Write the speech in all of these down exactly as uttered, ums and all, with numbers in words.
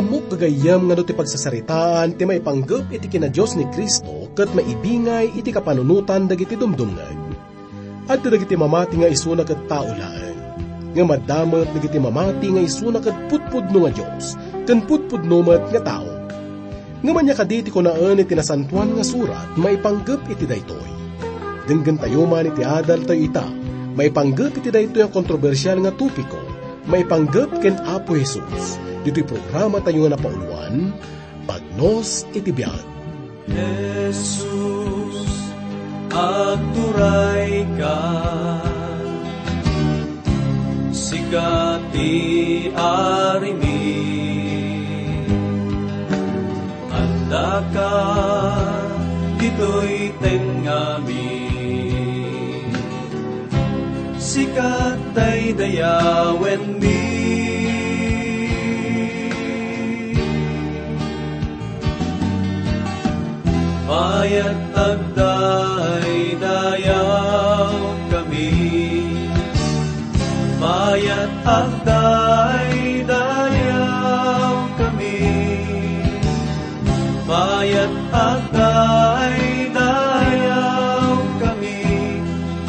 Ammok gagayyem nga no ti pagsasaritaan ti maipanggep iti kinadios ni Cristo ket maibingay iti kapanunotan dagiti dumdumngeg. Adda dagiti mamati nga isuna ket tao laeng. Ngem adda met dagiti mamati nga isuna ket pudpudno nga Dios, ken pudpudno met nga tao. Ngem ania kadi ti kunaen iti Nasantoan nga Surat maipanggep iti daytoy? Denggentayo man iti adaltayo ita, maipanggep iti daytoy a kontrobersial nga topiko, maipanggep ken Apo Jesus, ditoy programatayo nga napauloan, Pagnos iti Biag. Jesus, agturayka, sika ti arimi. Andaka ditoy tengngami, sika daydayawenmi. Mayat agdaydayawkami, mayat agdaydayawkami, mayat agdaydayawkami,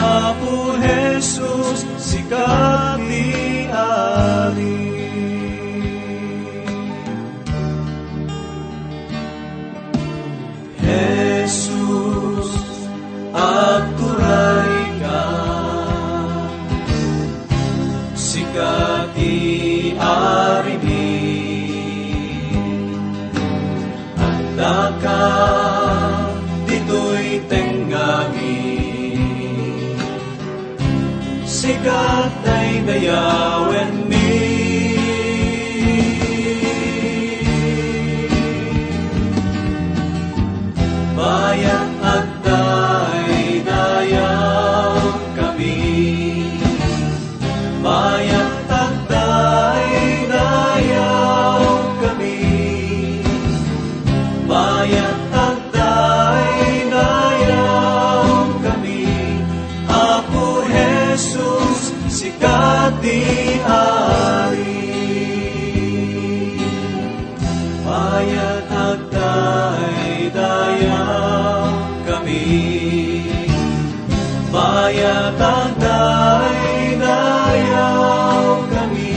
Apo Jesus, sika ti Ari. Jesus, agturayka, sika ti arimi. Andaka ditoy tengngami, sika daydayawenmi. Mayat agdaydayawkami, mayat agdaydayawkami, mayat agdaydayawkami, Apo Jesus, sika ti Ari. Mayat agdaydayawkami, mayat agdaydayawkami,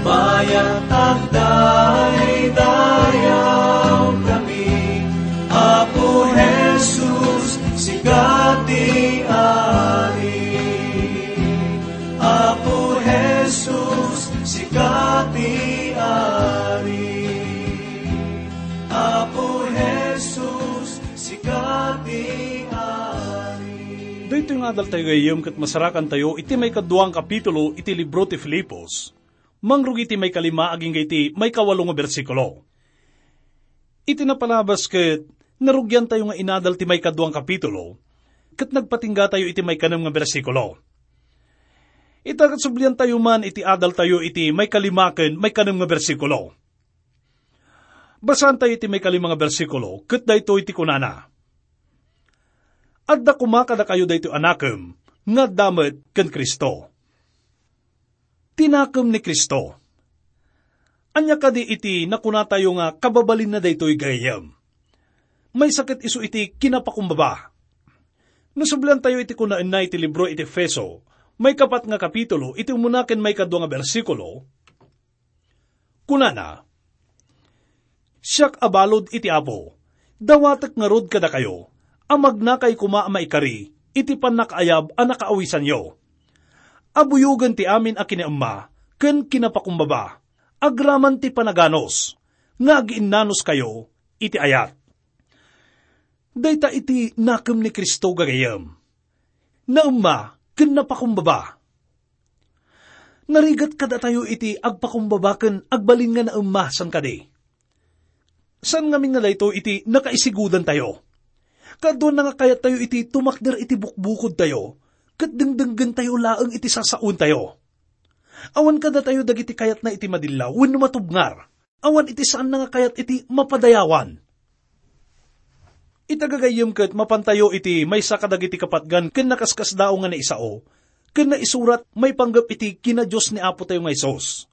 mayat agdaydayawkami, Apo Jesus, sika ti Ari. Apo Jesus, sika ti Ari. Apo Jesus, sika ti Ari. Daytoy nga adaltayo gayyem ket masarakantayo iti maikadua nga kapitulo iti libro ti Filipos. Mangrugi ti maikalima agingga iti maikawalo nga bersikulo. Iti napalabas ket narugiantayo nga inadal ti maikadua nga kapitulo, ket nagpatinggatayo iti maikanem nga bersikulo. Ita ket subliantayo man iti adaltayo iti maikalima ken maikanem nga bersikulo. Basaantayo iti maikalima nga bersikulo, ket daytoy ti kunana, "Adda koma kadakayo daytoy a nakem nga adda met ken Cristo." Ti nakem ni Cristo. Ania kadi iti nakunatayo nga kababalinna daytoy gayyem? Maysa ket isu iti kinapakumbaba. No subliantayo iti kunaenna iti libro iti Efeso, maikapat nga kapitulo, iti umuna ken maikadua nga bersikulo, kunana, "Siak a balud iti Apo, dawatek ngarud kadakayo a magnakay koma a maikari iti pannakaayab a nakaawisanyo. Abuyogen ti amin a kinaemma ken kinapakumbaba, agraman ti panaganus, nga agiinnanoskayo iti ayat." Dayta iti nakem ni Cristo, gagayyem. Naemma ken napakumbaba. Narigat kadatayo iti agpakumbaba ken agbalin nga naemma, saan kadi? Saan ngamin nga daytoy iti nakaisigudantayo? Kaduana nga kayattayo iti tumakder iti bukbukodtayo, ket dengdenggentayo laeng iti sasaontayo. Awan kadatayo dagiti kayatna iti madillaw wenno matubngar. Awan iti saanna nga kayat iti mapadayawan. Ita gagayyem ket mapantayo iti maysa kadagiti kapatgan ken nakaskasdaaw nga naisao ken naisurat maipanggep iti kinadios ni Apotayo nga Jesus.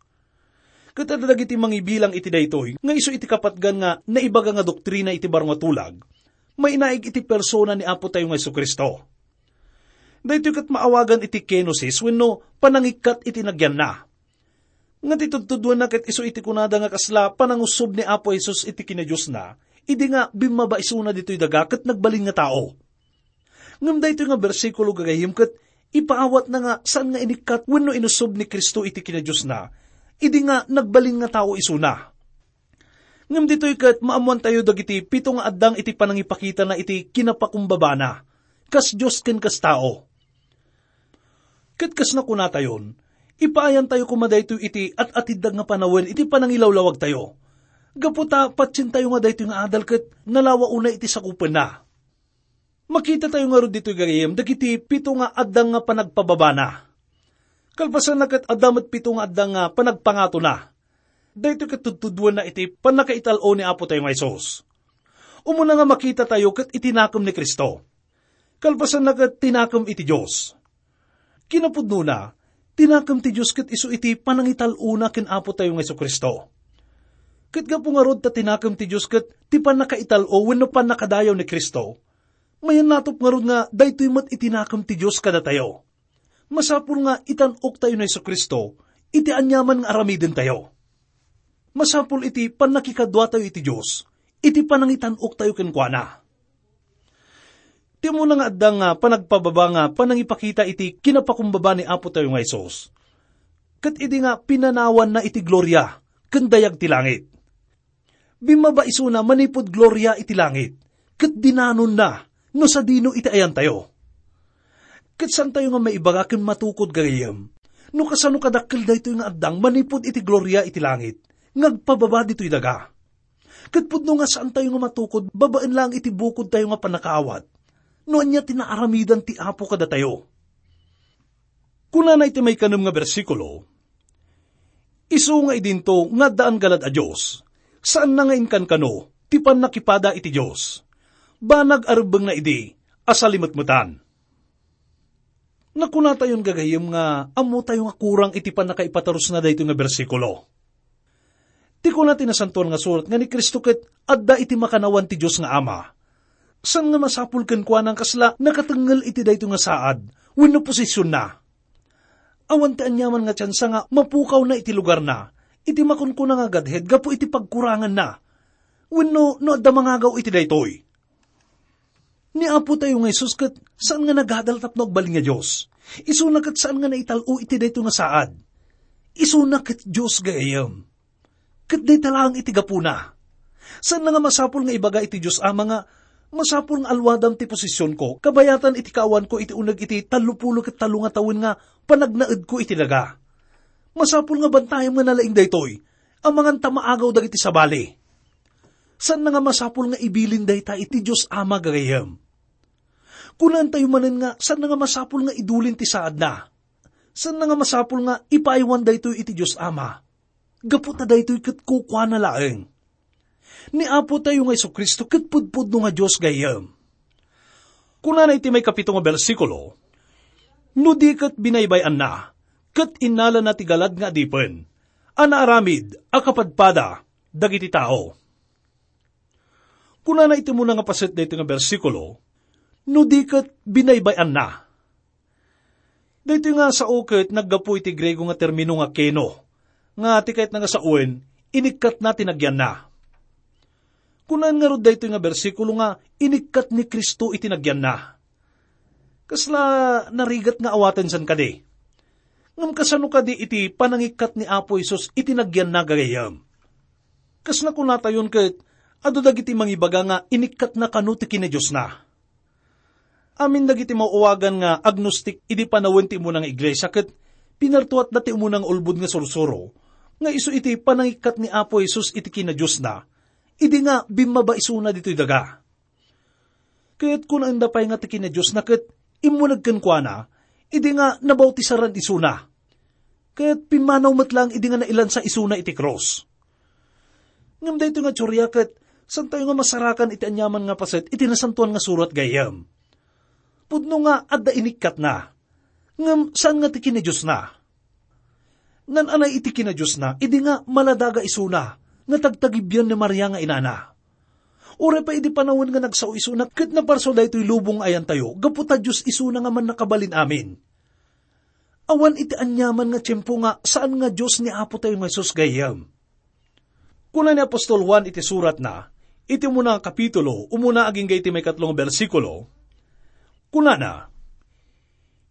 Ket adda dagiti mangibilang iti daytoy nga isu iti kapatgan nga naibaga nga doktrina iti baro nga tulag, mainaig iti persona ni Apo tayo nga Jesu-Cristo. Daytoy ket maawagan iti kenosis wenno panangikkat iti nagyanna. Nga ti tudtuduenna ket isu iti kunada nga kasla panangusob ni Apo Jesus iti kinadiosna, idi nga bimmaba isuna ditoy daga ket nagbalin nga tao. Ngem daytoy nga bersikulo gagayyem ket ipaawatna nga saan nga inikkat wenno inusob ni Cristo iti kinadiosna, idi nga nagbalin nga tao isuna. Ngem ditoy ket maammoantayo dagiti pito nga addang iti panangipakitana iti kinapakumbabana, kas Dios ken kas tao. Ket kas nakunatayon, ipaayantayo koma daytoy iti at-atiddag nga panawen iti panangilawlawagtayo. Gapu ta patientayo nga daytoy nga adal ket nalawa unay iti sakupenna. Makitatayo ngarud ditoy gagayyem dagiti pito nga addang nga panagpababana. Kalpasanna ket adda met pito nga addang nga panagpangatona. Daytoy ket tudtuduenna iti pannakaital-o ni Apo tayo nga Jesus. Umuna nga makitatayo ket iti nakem ni Cristo. Kalpasanna ket ti nakem iti Dios. Kinapudnona, ti nakem ti Dios ket isu iti panangital-ona ken Apo tayo nga Jesu-Cristo. Ket gapu ngarud ta ti nakem ti Dios ket ti pannakaital-o wenno pannakadayaw ni Cristo, mayannatop ngarud nga daytoy met iti nakem ti Dios kadatayo. Masapul nga itan-oktayo ni Jesu-Cristo iti aniaman nga aramidentayo. Masapul iti pannakikaduatayo iti Dios, iti panangitan-oktayo kenkuana. Ti umuna nga addang nga panagpababa nga panangipakita iti kinapakumbaba ni Apo tayo nga Jesus, ket idi nga pinanawanna iti gloria ken dayag ti langit. Bimmaba isuna manipud gloria iti langit, ket dinanonna no sadino iti ayantayo. Ket saantayo nga maibaga ken matukod gagayyem no kasano kadakkel daytoy nga addang manipud iti gloria iti langit nga agpababa ditoy daga. Ket pudno nga saantayo nga matukod babaen laeng iti bukodtayo nga pannakaawat no ania ti naaramidan ti Apo kadatayo. Kunana iti maikanem nga bersikulo, "Isu nga idinto nga addaan galad a Dios, saanna nga inkankano ti pannakipada iti Dios. Banag a rebbengna idi a salimetmetan." Nakunatayon gagayyem nga ammotayo nga kurang iti pannakaipatarusna daytoy nga bersikulo. Ti kuna ti Nasantoan nga Surat nga ni Cristo ket adda iti makannawan ti Dios nga Ama. Saan nga masapul kenkuana nga kasla nakatengngel iti daytoy nga saad wenno posisionna. Awan ti aniaman nga tiansa nga mapukawna iti lugarna iti makunkuna nga Godhead gapu iti pagkuranganna wenno no adda mangagaw iti daytoy. Ni Apo tayo nga Jesus ket saan nga nagadal tapno agbalin nga Dios. Isuna ket saan nga naital-o iti daytoy nga saad. Isuna ket Dios gagayyem. Ket dayta laeng iti gapuna. Saan nga masapul nga ibaga iti Dios Ama nga, "Masapul nga alwadam ti posisionko, kabayatan iti kaawanko iti uneg iti tallopulo ket tallo nga tawen nga panagnaedko iti daga. Masapul nga bantayem nga nalaing daytoy, amangan ta maagaw dagiti sabali." Saan nga masapul nga ibilin dayta iti Dios Ama gagayyem. Kunantayo manen nga saan nga masapul nga idulin ti saadna. Saan nga masapul nga ipaaywan daytoy iti Dios Ama. Gapu ta daytoy ket kukuana laeng. Ni Apo tayo nga Jesu-Cristo ket pudpudno nga Dios gayam. Kunana iti maikapito nga bersikulo, "No di ket binaybay-anna, ket innalana ti galad nga adipen, a naaramid a kapadpada dagiti tao." Kunana iti umuna nga paset daytoy nga bersikulo, "No di ket binaybay-anna." Daytoy nga sao ket naggapu iti Griego nga termino nga keno, nga ti kayatna nga sawen, inikkatna ti nagyanna. Kunaan ngarud daytoy nga bersikulo nga inikkat ni Cristo iti nagyanna. Kasla narigat nga awaten san kadi? Ngem kasano kadi iti panangikkat ni Apo Jesus iti nagyanna gagayyem? Kas nakunatayon ket, adu dagiti mangibaga nga inikkatna kano ti kinadiosna. Amin dagiti mauwagan nga agnostik idi panawen ti umuna nga iglesia ket pinartuatda ti umuna nga ulbod nga sursuro nga isu iti panangikkat ni Apo Jesus iti kinadiosna, idi nga bimmaba isuna ditoy daga. Ket kunaenda pay nga ti kinadiosna ket immuneg kenkuana, idi nga nabautisaran isuna. Ket pimmanaw met laeng idi nga nailansa isuna iti krus. Ngem daytoy nga teoria ket saantayo nga masarakan iti aniaman nga paset iti Nasantoan nga Surat gayam. Pudno nga adda inikkatna, ngem saan nga ti kinadiosna. Naan-anay iti kinadiosna, idi nga maladaga isuna nga tagtagibian ni Maria nga inana. Uray pay idi panawen nga nagsao isuna ket naparsua daytoy lubong nga ayantayo, gapu ta Dios isuna nga Mannakabalin-amin. Awan iti aniaman nga tiempo nga saan nga Dios ni Apo tayo nga Jesus gayyem. Kuna ni apostol Juan iti suratna, iti umuna nga kapitulo, umuna agingga iti maikatlo nga bersikulo, kunana,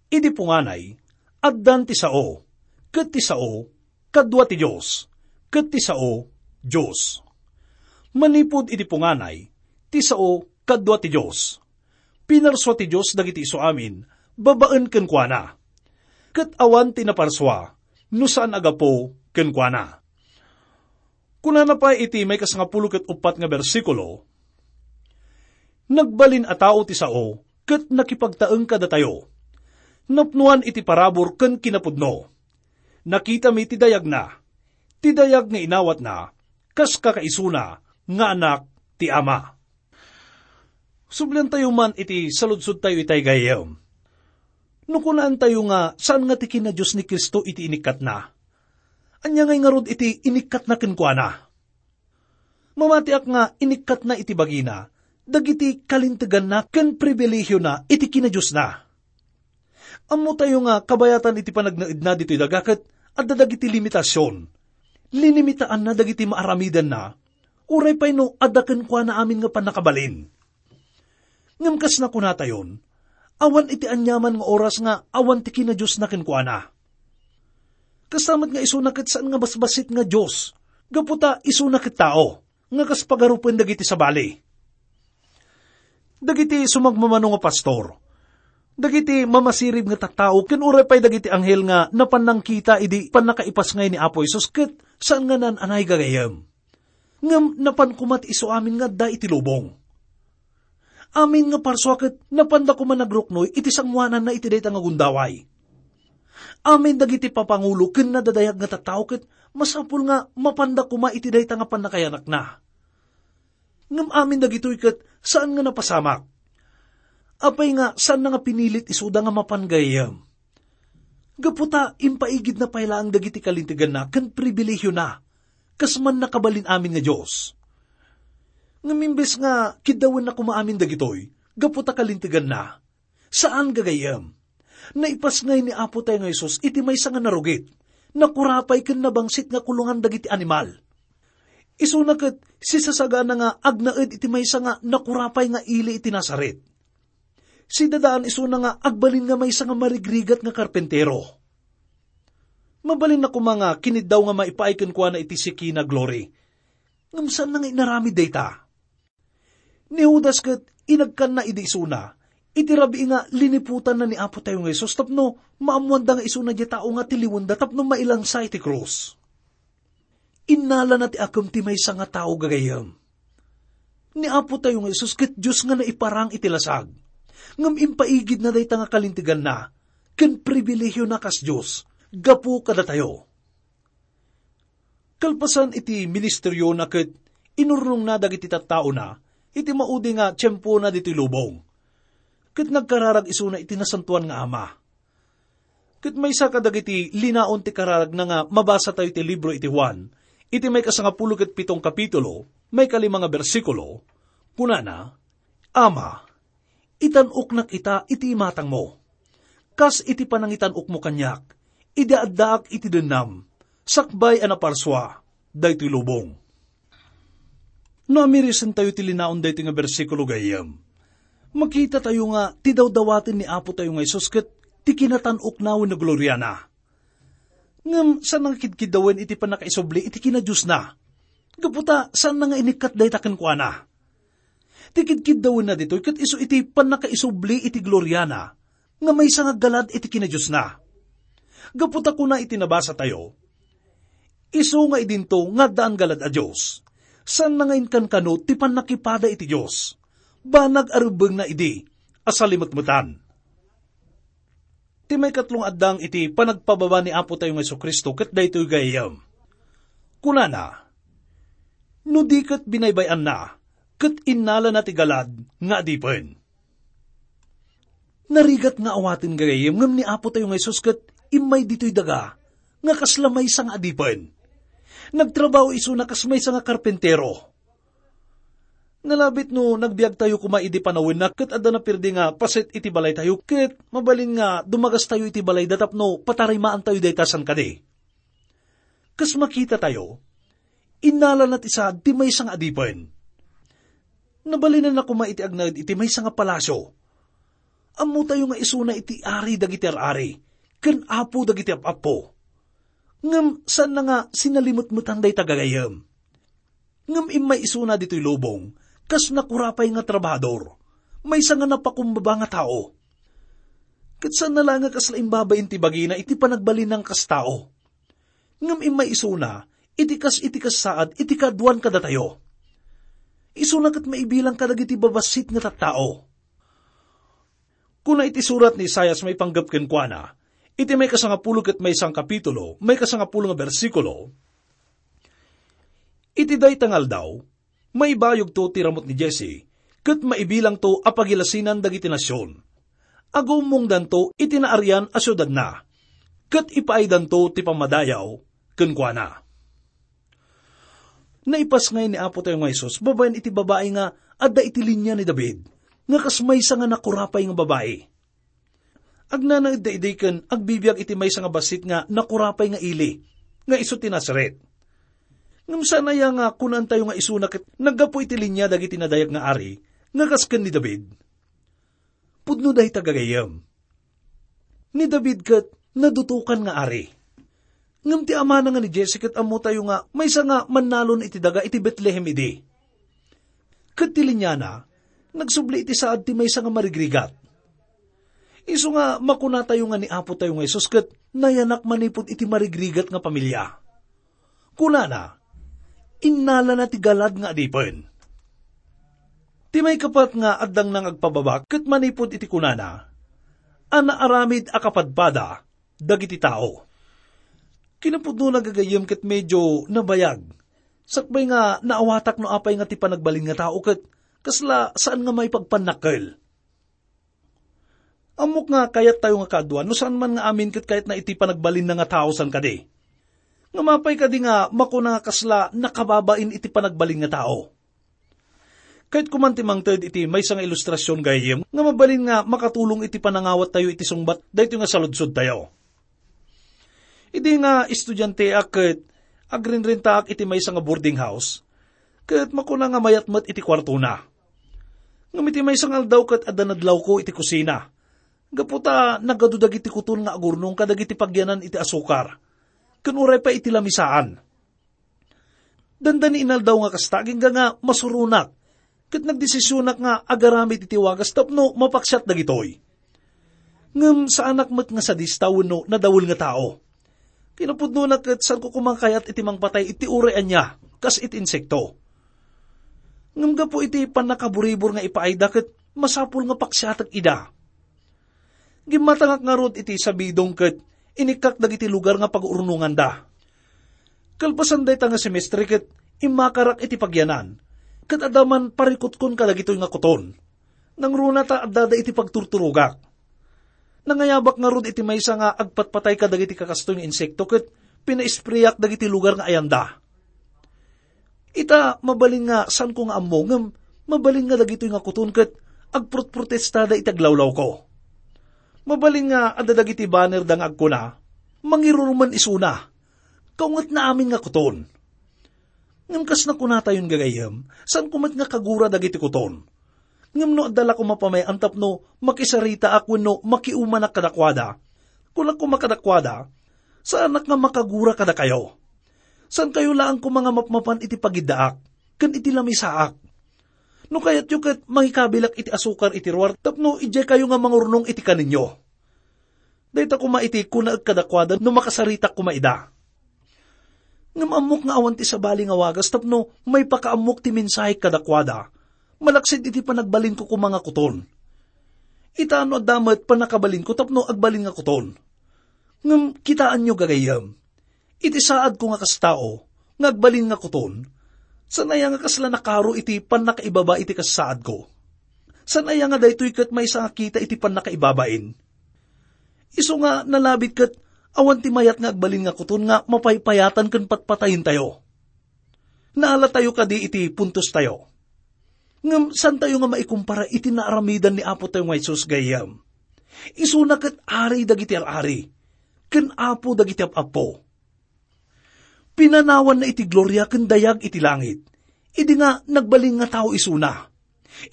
"Idi punganay, addan ti sao, ket ti sao, kadua ti Dios, ket ti sao, Dios." Manipud iti punganay, ti sao, kadua ti Dios. Pinarsua ti Dios dagiti isuamin babaen kenkuana. Ket awan ti naparsua no saan a gapu kenkuana. Kunana pay iti maikasngapulo ket uppat nga bersikulo, "Nagbalin a tao ti sao ket nakipagtaeng kadatayo. Napnoan iti parabur ken kinapudno. Nakitami ti dayagna, ti dayag nga inawatna, kas kakaisuna nga anak ti Ama." Subliantayo man iti saludsodtayo itay gayyem. No kunaantayo nga saan nga ti kinadios ni Cristo iti inikkatna, ania ngay ngarud iti inikkatna kenkuana? Mamatiak nga inikkatna iti bagina dagiti kalinteganna ken pribilehiona iti kinadiosna. Ammotayo nga kabayatan iti panagnaedna ditoy daga ket adda dagiti limitasion. Linimitaanna dagiti maaramidenna, uray pay no adda kenkuana amin nga pannakabalin. Ngem kas nakunatayon, awan iti aniaman nga oras nga awan ti kinadiosna kenkuana. Kasta met nga isuna ket saan nga basbassit nga Dios, gapu ta isuna ket tao, nga kas pagarupen dagiti sabali. Dagiti sumagmamano nga pastor, dagiti mamasirib nga tattao, ken uray pay dagiti anghel nga napan nangkita idi pannakaipasngay ni Apo Jesus ket saan nga naan-anay gagayyem. Ngem napan koma ti isuamin nga adda iti lubong. Amin nga parsua ket napanda koma nagruknoy iti sangoananna iti dayta nga gundaway. Amin dagiti papangulo ken nadadayag nga tattao ket masapul nga mapanda koma iti dayta nga pannakayanakna. Ngem amin dagitoy ket saan nga napasamak. Apay nga saanna nga pinilit isuda nga mapan gayyem? Gapu ta impaigidna pay laeng dagiti kalinteganna ken pribilehiona, kas Mannakabalin-amin nga Dios. Ngem imbes nga kiddawenna koma amin dagitoy, gapu ta kalinteganna, saan gagayyem. Naipasngay ni Apo tayo nga Jesus iti maysa nga narugit, nakurapay ken nabangsit nga kulongan dagiti animal. Isuna ket sisasagana nga agnaed iti maysa nga nakurapay nga ili iti Nazaret. Sidadaan isuna nga agbalin nga maysa nga marigrigat nga karpentero. Mabalinna koma nga kiniddaw nga maipaay kenkuana iti Shekinah glory. Ngem saanna nga inaramid dayta. Ni Judas ket inagkanna idi isuna, iti rabii nga liniputanna ni Apo tayo nga Jesus tapno maammoanda nga isuna diay tao nga tiliwenda tapno mailansa iti krus. Innalana ti akem ti maysa nga tao gagayyem. Ni Apo tayo nga Jesus ket Dios nga naiparang iti lasag. Ngem impaigidna dayta nga kalinteganna ken pribilehiona kas Dios gapu kadatayo. Kalpasan iti ministeriona ket inurnongna dagiti tattaona iti maudi nga tiempona ditoy lubong. Ket nagkararag isuna iti Nasantoan nga Ama. Ket maysa kadagiti linaon ti kararagna nga mabasatayo iti libro iti Juan, iti maikasangapulo ket pitong kapitulo, maikalima nga bersikulo, kunana, "Ama, itan-oknak ita iti imatangmo, kas iti panangitan-okmo kaniak, idi addaak iti dennam, sakbay a naparsua daytoy lubong." No amirisentayo ti linaon daytoy nga bersikulo gayyem, makitatayo nga ti dawdawaten ni Apo tayo nga Jesus ket ti kinatan-okna wenno gloriana. Ngem saan nga kidkiddawen iti pannakaisubli iti kinadiosna, gapu ta saanna nga inikkat dayta kenkuana. Ti kidkiddawenna ditoy ket isu iti pannakaisubli iti gloriana nga maysa nga aggalad iti kinadiosna. Gapu ta kuna iti nabasatayo, "Isu nga idinto nga addaan galad a Dios, saanna nga inkankano ti pannakipada iti Dios, banag a rebbengna idi a salimetmetan." Ti maikatlo nga addang iti panagpababa ni Apo tayo nga Jesu-Cristo ket daytoy gayyem. Kunana, "No di ket binaybay-anna, ket innalana ti galad nga adipen." Narigat nga awaten gagayyem ngem ni Apo tayo nga Jesus ket immay ditoy daga nga kasla maysa nga adipen. Nagtrabaho isuna kas maysa nga karpentero. Nalabit no nagbiagtayo koma idi panawenna ket adda napirdi nga paset iti balaytayo ket mabalin nga dumagastayo iti balayda tapno patarimaantayo dayta san kadi. Kas makitatayo, innalana ti saad ti maysa nga adipen. Nabalinanna koma iti agnaed iti maysa nga palasio. Ammotayo nga isuna iti ari dagiti ar-ari, ken apo dagiti ap-appo. Ngem saanna nga sinalimetmetan dayta gagayyem. Ngem immay isuna ditoy lubong, kas nakurapay nga trabahador, maysa nga napakumbaba nga tao. Ket saanna la nga kasla imbabain ti bagina iti panagbalinna nga kas tao. Ngem immay isuna, iti kas iti kasaad iti kaaduan kadatayo. Isuna ket maibilang kadagiti babassit nga tattao. Kuna iti surat ni Isaias maipanggep kenkuana, iti maikasangapulo ket maysa nga kapitulo, maikasangapulo nga bersikulo, "Iti dayta nga aldaw, maibayogto ti ramut ni Jesse, ket maibilangto a pagilasinan dagiti nasion. Agummongdanto iti naarian a siudadna, ket ipaaydanto ti pammadayaw kenkuana." Naipasngay ni Apotayo nga Jesus babaen iti babai nga adda iti linia ni David, nga kas maysa nga nakurapay nga babai. Agnanaedda idi ken agbibiag iti maysa nga bassit nga nakurapay nga ili, nga isu ti Nazaret. Ngem saan aya nga kunaentayo nga isuna ket naggapu iti linia dagiti nadayag nga ari nga kas ken ni David? Pudno dayta gagayyem. Ni David ket nadutokan nga ari. Ngem ti amana nga ni Jesse ket ammotayo nga maysa nga mannalon iti daga iti Betlehem idi. Ket ti liniana, nagsubli iti saad ti maysa nga marigrigat. Isu nga makunatayo nga ni Apotayo nga Jesus ket nayanak manipud iti marigrigat nga pamilia. Kunana, innalana ti galad nga adipen. Ti maikapat nga addangna nga agpababa ket manipud iti kunana, a naaramid a kapadpada dagiti tao. Kinapudnona gagayyem ket medio nabayag. Sakbay nga naawatak no apay nga ti panagbalin nga tao ket kasla saan nga maipagpannakkel. Ammok nga kayattayo nga kaaduan no saan man nga amin ket kayatna iti panagbalinna nga tao san kadi. Ngem apay kadi nga makuna nga kasla nakababain iti panagbalin nga tao? Kayatko man ti mangted iti maysa nga ilustrasion gayyem nga mabalin nga makatulong iti panangawattayo iti sungbat daytoy nga saludsodtayo. Idi nga estudianteak ket agrinrentaak iti maysa nga boarding house, ket makuna nga mayat met iti kuartona. Ngem iti maysa nga aldaw ket adda nadlawko iti kusina, gapu ta nagadu dagiti kuton nga agurnong kadagiti pagyanan iti asukar, ken uray pay iti lamisaan. Dandani inaldaw nga kasta, agingga nga masuronak, ket nagdesisionak nga agaramid iti wagas tapno mapaksiat dagitoy. Ngem saanak met nga sadista wenno nadawel nga tao. Kinapudnona ket saanko koma kayat iti mangpatay iti uray ania, kas iti insekto. Ngem gapu iti pannakaburibor nga ipaayda ket masapul nga paksiatek ida. Gimmatangak ngarud iti sabidong ket inikkak dagiti lugar nga pagurnonganda. Kalpasan dayta nga semestre ket immakarak iti pagyanan, ket adda man parikutkon kadagitoy nga kuton. Nangruna ta addada iti pagturturogak. Nangayabak ngarud iti maysa nga agpatpatay kadagiti kakastoy nga insekto ket pinaispreyak dagiti lugar nga ayanda. Ita, mabalin nga saanko nga ammo, ngem mabalin nga dagitoy nga kuton ket agprotprotestada iti aglawlawko. Mabalin nga adda dagiti bannerda nga agkuna, "Mangirurumen isuna. Kaungetna amin nga kuton." Ngem kas nakunatayon gagayyem, saanko met nga kagura dagiti kuton. Ngem no adda la koma pamay-an tapno makisaritaak wenno makiumanak kadakuada, kunak koma kadakuada, "Saanak nga makagura kadakayo. Saankayo laeng koma nga mapmapan iti pagiddaak ken iti lamisaak. No kayatyo ket mangikabilak iti asukar iti ruar tapno idiaykayo nga mangurnong iti kaninyo." Dayta koma iti kunaek kadakuada no makasaritak koma ida. Ngem ammok nga awan ti sabali nga wagas tapno maipakaammok ti mensahek kadakuada, malaksid iti panagbalinko koma nga kuton. Ita, no adda met pannakabalinko tapno agbalin nga kuton. Ngem kitaenyo, gagayyem, iti saadko nga kas tao nga agbalin nga kuton, saan aya nga kasla nakaro iti pannakaibaba iti kas saadko? Saan aya nga daytoy ket maysa nga kita iti pannakaibabain? Isu nga nalabit ket Awan ti mayat nga agbalin nga kuton nga mapaypayatan ken patpatayentayo. Naalatayo kadi iti puntostayo. Ngem saantayo nga maikumpara iti naaramidan ni Apotayo nga Jesus gayyem. Isuna ket Ari dagiti ar-ari, ken Apo dagiti ap-apo. Pinanawanna iti gloria ken dayag iti langit, idi nga nagbalin nga tao isuna,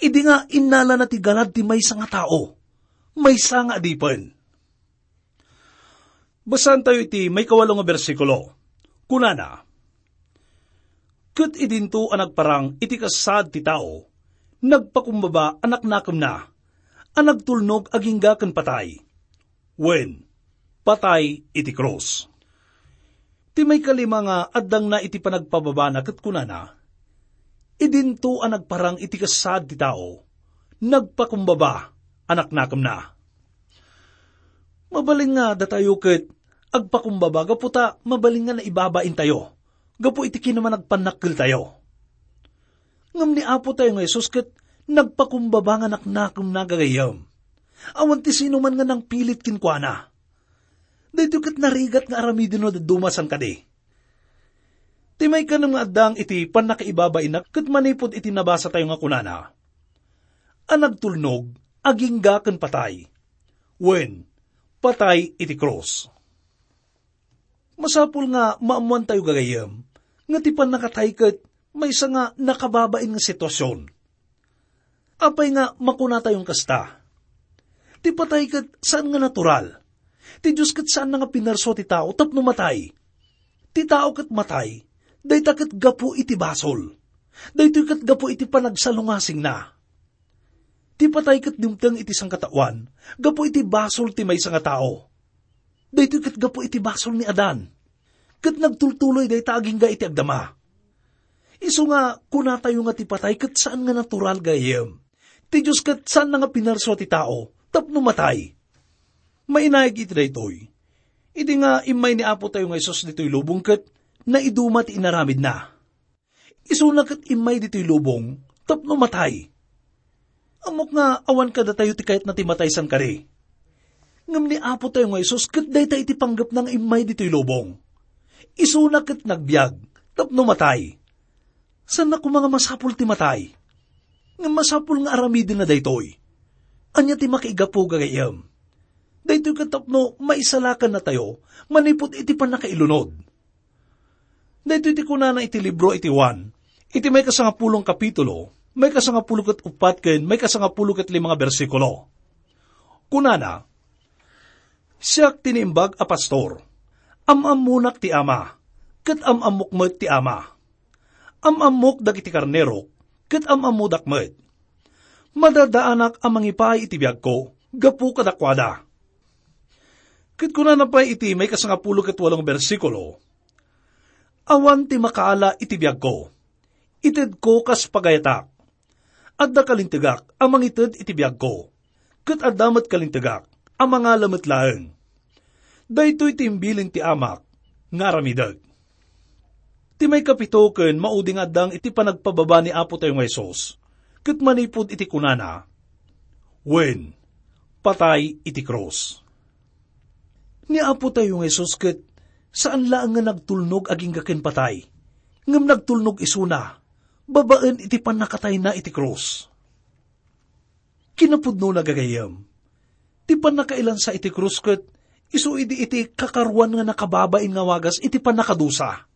idi nga innalana ti galad ti maysa nga tao, maysa nga adipen. Basaentayo iti maikawalo nga bersikulo. Kunana, "Ket idinto a nagparang iti kasaad ti tao, nagpakumbaba a naknakemna, a nagtulnog agingga ken patay, wen, patay iti krus." Ti maikalima nga addangna iti panagpababana ket kunana, "Idinto a nagparang iti kasaad ti tao, nagpakumbaba a naknakemna." Mabalin nga datayo ket agpakumbaba gapu ta mabalin nga naibabaintayo gapu iti kinamanagpannakkeltayo. Ngem ni Apotayo nga Jesus ket nagpakumbaba nga naknakemna gagayyem. Awan ti sinuman nga nangpilit kenkuana. Daytoy ket narigat nga aramiden no dadduma, saan kadi? Ti maikanem nga addang iti pannakaibabaina ket manipud iti nabasatayo nga kunana, a nagtulnog agingga ken patay, wen, patay iti krus. Masapul nga maammoantayo gagayyem nga ti pannakatay ket maysa nga nakababain nga sitwasyon. Apay nga makunatayon kasta? Ti patay ket saan nga natural. Ti Dios ket saanna nga pinersua ti tao tapno matay. Ti tao ket matay, dayta ket gapu iti basol. Daytoy ket gapu iti panagsalungasingna. Ti patay ket dimteng iti sangkataoan gapu iti basol ti maysa nga tao. Daytoy ket gapu iti basol ni Adan. Ket nagtultuloy dayta agingga iti agdama. Isu nga kunatayo nga ti patay ket saan nga natural, gayyem. Ti Dios ket saanna nga pinersua ti tao tapno matay. Mainaig iti daytoy. Idi nga immay ni Apotayo nga Jesus ditoy lubong ket naiduma ti inaramidna. Isuna ket immay ditoy lubong tapno matay. Ammok nga awan kadatayo ti kayatna ti matay, saan kadi? Ngem ni Apotayo nga Jesus ket dayta iti panggepna nga immay ditoy lubong. Isuna ket nagbiag tapno matay. Saanna koma nga masapul ti matay. Ngem masapul nga aramidenna daytoy. Ania ti makaigapu, gagayyem? Daytoy ket tapno maisalakannatayo manipud iti pannakailunod. Daytoy ti kunana iti libro iti Juan, iti maikasangapulo nga kapitulo, maikasangapulo ket uppat ken maikasangapulo ket lima nga bersikulo. Kunana, "Siak ti naimbag a pastor. Am-ammonak ti Ama, ket am-ammok met ti Ama. Am-ammok dagiti karnerok, ket am-ammodak met. Madadaanak a mangipaay iti biagko gapu kadakuada." Ket kunana pay iti maikasangapulo ket walo nga bersikulo, "Awan ti makaala iti biagko. Itedko kas pagayatak. Adda kalintegak a mangited iti biagko, ket adda met kalintegak a mangala met laeng. Daytoy ti imbilin ti Amak nga aramidek." Ti maikapito ken maudi nga addang iti panagpababa ni Apotayo nga Jesus, ket manipud iti kunana, wen, patay iti krus. Ni Apotayo nga Jesus ket saan laeng nga nagtulnog agingga ken patay, ngem nagtulnog isuna babaen iti pannakatayna iti krus. Kinapudnona, gagayyem, ti pannakailansa iti krus ket isu idi iti kakaruan nga nakababain nga wagas iti pannakadusa.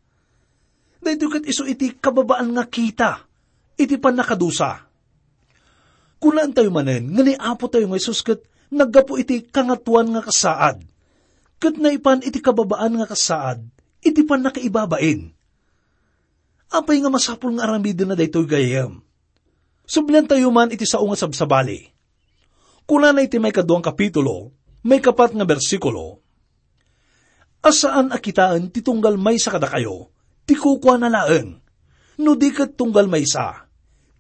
Daytoy ket isu iti kababaan nga kita iti pannakadusa. Kunaentayo manen nga ni Apotayo nga Jesus ket naggapu iti Kangatoan nga kasaad, ket naipan iti kababaan nga kasaad iti pannakaibabain. Apay nga masapul nga aramidenna daytoy, gayyem? Subliantayo man iti sao nga sabsabali. Kunana iti maikaduang kapitulo, maikapat nga bersikulo, a saan a kitaen ti tunggal maysa kadakayo ti kukuana laeng, no di ket tunggal maysa,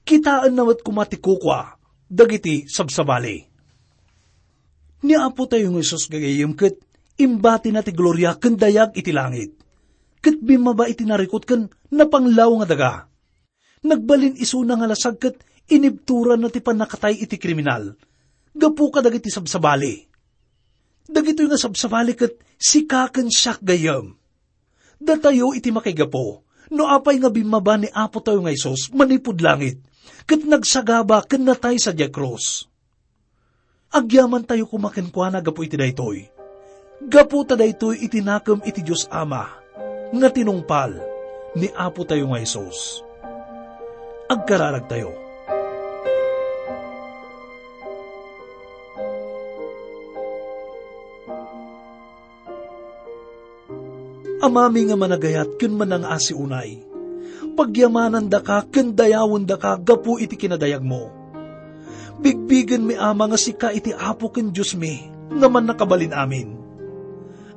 kitaenna met koma ti kukua dagiti sabsabali. Ni Apotayo nga Jesus, gagayyem, ket imbatina ti gloria ken dayag iti langit, ket bimmaba iti narikut ken napanglaw nga daga. Nagbalin isuna nga lasag ket inibturanna ti pannakatay iti kriminal gapu kadagiti sabsabali. Dagitoy nga sabsabali ket sika ken siak gayyem. Datayo iti makaigapu, no apay nga bimmaba ni Apotayo nga Jesus manipud langit, ket nagsagaba ken natay sadiay krus. Agyamantayo koma kenkuana gapu iti daytoy. Gapu ta daytoy iti nakem iti Dios Ama, nga tinungpal ni Apotayo nga Jesus. Agkararagtayo. Amami nga managayat ken manangaasi unay, pagyamanandaka ken dayawendaka gapu iti kinadayagmo. Bigbigenmi, Ama, nga sika iti Apo ken Diosmi nga mannakabalin amin.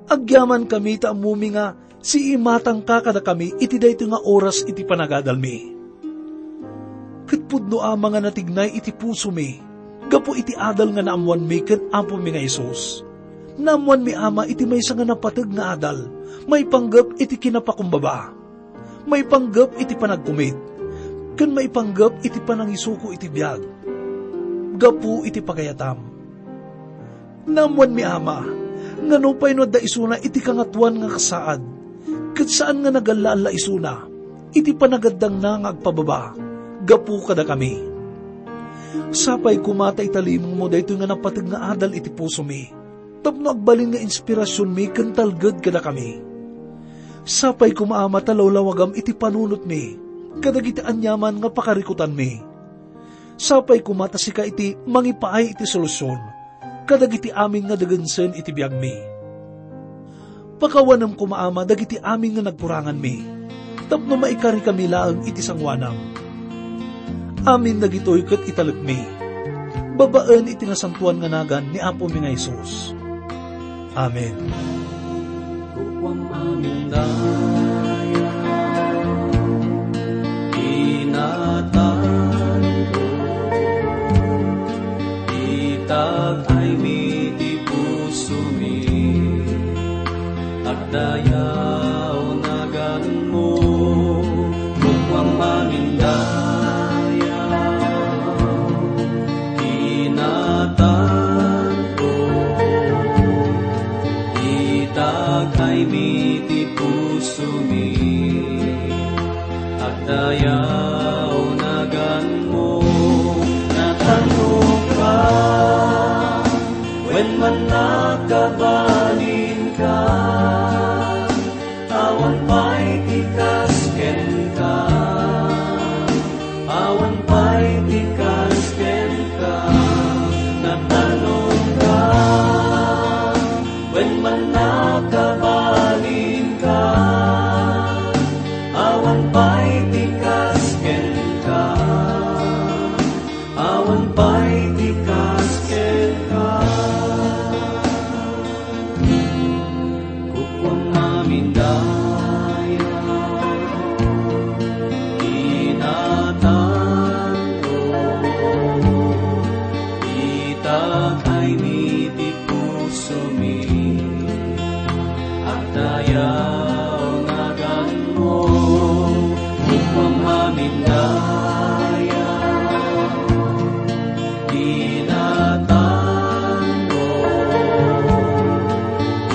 Agyamankami ta ammomi nga siimatangka kadakami iti daytoy nga oras iti panagadalmi. Ket pudno, Ama, nga natignay iti pusomi gapu iti adal nga naammoanmi ken Apomi nga Jesus. Naammoanmi, Ama, iti maysa nga napateg nga adal maipanggep iti kinapakumbaba, maipanggep iti panagkumit, ken maipanggep iti panangisuko iti biag gapu iti pagayatam. Naammoanmi, Ama, nga nupay no adda isuna iti Kangatoan nga kasaad, ket saan nga nagalla-alla isuna iti panagaddangna nga agpababa gapu kadakami. Sapay koma ta italimengmo daytoy nga napateg nga adal iti pusomi, tapno agbalin nga inspirasionmi ken talged kadakami. Sapay koma, Ama, ta lawlawagam iti panunotmi kadagiti aniaman nga pakarikutanmi. Sapay koma ta sika iti mangipaay iti solusion kadagiti amin nga degensen iti biagmi. Pakawanem koma, Ama, dagiti amin nga nagkuranganmi, tapno maikarikami laeng iti sangoanam. Amin dagitoy ket italekmi babaen iti nasantoan nga nagan ni Apomi nga Jesus. Amen. Kukuam amin daya, inatanto, itag-aymi ti pusomi, agdayaw naganmo, kukuam amin daya, inatanto, itag-aymi ti pusomi, agdayaw naganmo, natanongka, wen mannakabalinka, awan pay ti kas kenka. Awan pay ti kas kenka, natanongka, wen mannakabalinka. Awan pay ti kas kenka, awan pay ti kas kenka. Kukuam amin daya, inatanto, itag-aymi ti pusomi, agdayaw naganmo, kukuam amin daya, inatanto,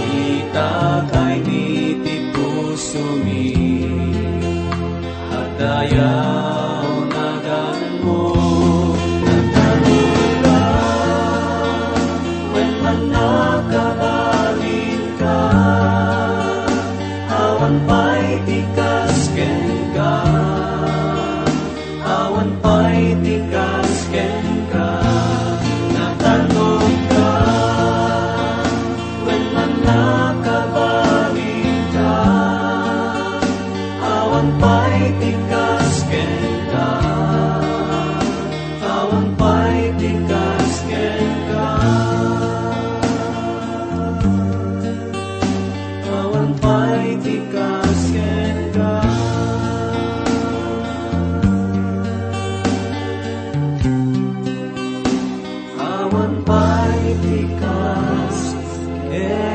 itag-aymi ti pusomi, agdayaw naganmo, natanongka, wen mannakabalinka, awan pay ti kas kenka. Awan pay ti kas kenka, natanongka, wen mannakabalinka. Awan pay ti kas kenka, awan pay ti kas kenka. Awan pay ti kas kenka. Awan pay ti kas kenka.